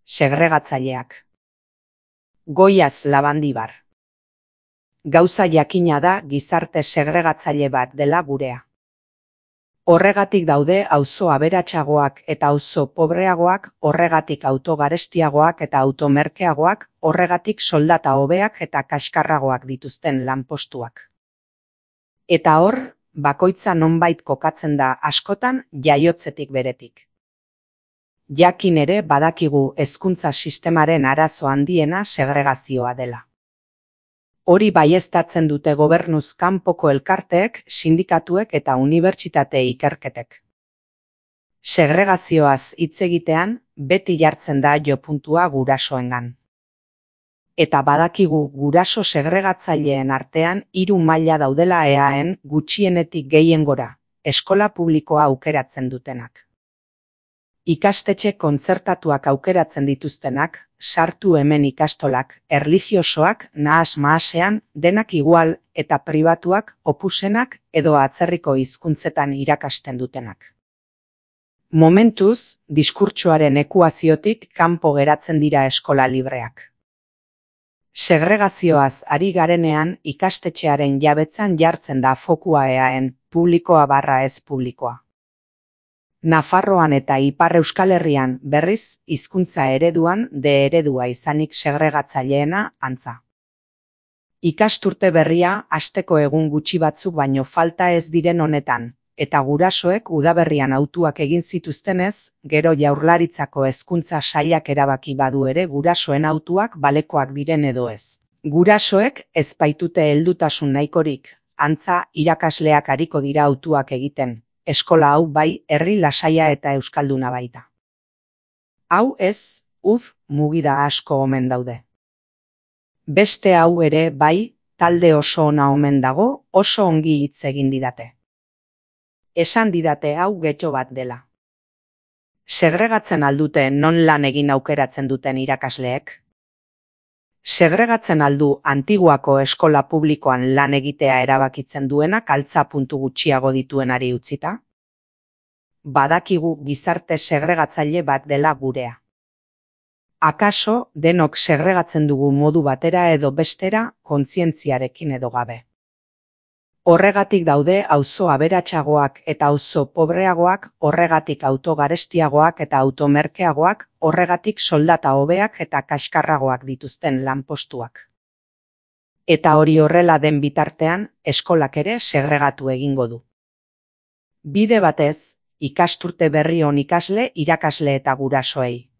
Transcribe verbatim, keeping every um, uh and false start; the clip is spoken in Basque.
Segregatzaileak. Goiaz Labandibar. Gauza jakina da gizarte segregatzaile bat dela gurea. Horregatik daude auzo aberatsagoak eta auzo pobreagoak, horregatik auto garestiagoak eta auto merkeagoak, horregatik soldata hobeak eta kaskarragoak dituzten lanpostuak. Eta hor, bakoitza nonbait kokatzen da askotan jaiotzetik beretik. Jakin ere badakigu hezkuntza sistemaren arazo handiena segregazioa dela. Hori baieztatzen dute gobernuz kanpoko elkarteek, sindikatuek eta unibertsitate ikerketek. Segregazioaz hitz egitean, beti jartzen da jopuntua gurasoengan. Eta badakigu guraso segregatzaileen artean hiru maila daudela eaen gutxienetik gehiengora, eskola publikoa aukeratzen dutenak. Ikastetxe kontzertatuak aukeratzen dituztenak, sartu hemen ikastolak, erlijiosoak, nahas-mahasean, denak igual eta pribatuak, opusenak edo atzerriko hizkuntzetan irakasten dutenak. Momentuz, diskurtsoaren ekuaziotik kanpo geratzen dira eskola libreak. Segregazioaz ari garenean ikastetxearen jabetzan jartzen da fokua eaen, publikoa barra ez publikoa. Nafarroan eta Ipar Euskal Herrian berriz hizkuntza ereduan de eredua izanik segregatzaileena antza. Ikasturte berria hasteko egun gutxi batzuk baino falta ez diren honetan, eta gurasoek udaberrian hautuak egin zituztenez, gero Jaurlaritzako hezkuntza sailak erabaki badu ere gurasoen hautuak balekoak diren edo ez. Gurasoek ez baitute heldutasun nahikorik, antza irakasleak ariko dira hautuak egiten. Eskola hau bai, herri lasaia eta euskalduna baita. Hau ez, uf, mugida asko omen daude. Beste hau ere bai, talde oso ona omen dago, oso ongi hitz egin didate. Esan didate hau getxo bat dela. Segregatzen aldute non lan egin aukeratzen duten irakasleek? Segregatzen aldu Antiguako eskola publikoan lan egitea erabakitzen duenak altza puntu gutxiago dituenari utzita? Badakigu gizarte segregatzaile bat dela gurea. Akaso denok segregatzen dugu modu batera edo bestera kontzientziarekin edo gabe. Horregatik daude auzo aberatsagoak eta auzo pobreagoak, horregatik auto garestiagoak eta auto merkeagoak, horregatik soldata hobeak eta kaskarragoak dituzten lanpostuak. Eta hori horrela den bitartean, eskolak ere segregatu egingo du. Bide batez, ikasturte berri on ikasle, irakasle eta gurasoei.